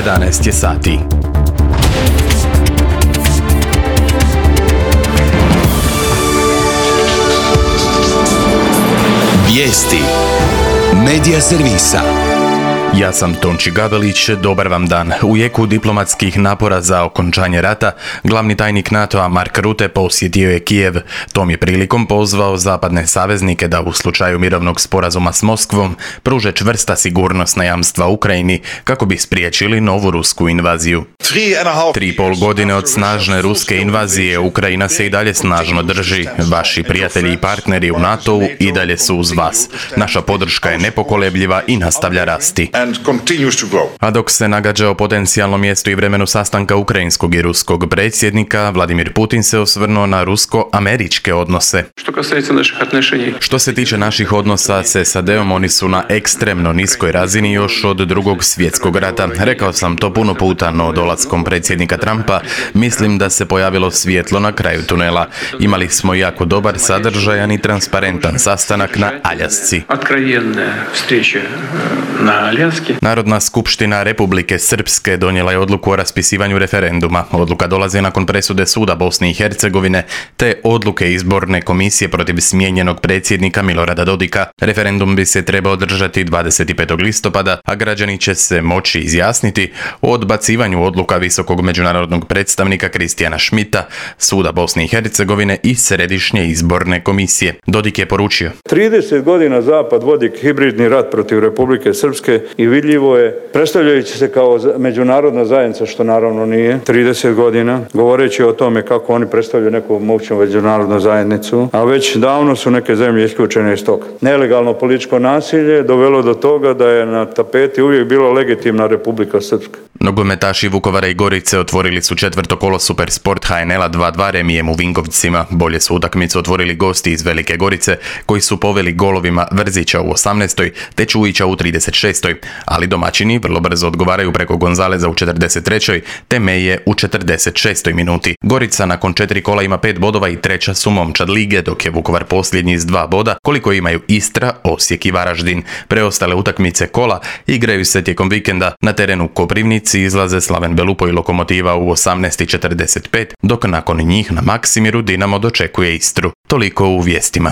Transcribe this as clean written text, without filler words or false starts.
11 je sati. Vijesti Medija servisa. Ja sam Tonči Gabelić, dobar vam dan. U jeku diplomatskih napora za okončanje rata, glavni tajnik NATO-a Mark Rutte posjetio je Kijev. Tom je prilikom pozvao zapadne saveznike da u slučaju mirovnog sporazuma s Moskvom pruže čvrsta sigurnosna jamstva Ukrajini kako bi spriječili novu rusku invaziju. 3,5 godine od snažne ruske invazije Ukrajina se i dalje snažno drži. Vaši prijatelji i partneri u NATO-u i dalje su uz vas. Naša podrška je nepokolebljiva i nastavlja rasti. A dok se nagađa o potencijalnom mjestu i vremenu sastanka ukrajinskog i ruskog predsjednika, Vladimir Putin se osvrnuo na rusko-američke odnose. Što se tiče naših odnosa s SAD-om, oni su na ekstremno niskoj razini još od Drugog svjetskog rata. Rekao sam to puno puta, no dolaskom predsjednika Trumpa mislim da se pojavilo svjetlo na kraju tunela. Imali smo jako dobar, sadržajan i transparentan sastanak na Aljasci. Narodna skupština Republike Srpske donijela je odluku o raspisivanju referenduma. Odluka dolazi nakon presude suda Bosne i Hercegovine te odluke izborne komisije protiv smijenjenog predsjednika Milorada Dodika. Referendum bi se trebao održati 25. listopada, a građani će se moći izjasniti o odbacivanju odluka visokog međunarodnog predstavnika Kristijana Schmidta, suda Bosne i Hercegovine i Središnje izborne komisije. Dodik je poručio: 30 godina Zapad vodi hibridni rat protiv Republike Srpske i vidljivo je, predstavljajući se kao međunarodna zajednica, što naravno nije, 30 godina, govoreći o tome kako oni predstavljaju neku moćnu međunarodnu zajednicu, a već davno su neke zemlje isključene iz toga. Nelegalno političko nasilje dovelo do toga da je na tapeti uvijek bila legitimna Republika Srpska. Nogometaši Vukovara i Gorice otvorili su četvrto kolo Supersport HNL-a 2-2 remijem u Vinkovcima. Bolje su utakmicu otvorili gosti iz Velike Gorice, koji su poveli golovima Vrzića u 18. te Čujića u 36. Ali domaćini vrlo brzo odgovaraju preko Gonzaleza u 43. te Meje u 46. minuti. Gorica nakon 4 kola ima 5 bodova i treća su momčad lige, dok je Vukovar posljednji s 2 boda, koliko imaju Istra, Osijek i Varaždin. Preostale utakmice kola igraju se tijekom vikenda. Na terenu Koprivnici izlaze Slaven Belupo i Lokomotiva u 18:45, dok nakon njih na Maksimiru Dinamo dočekuje Istru. Toliko u vijestima.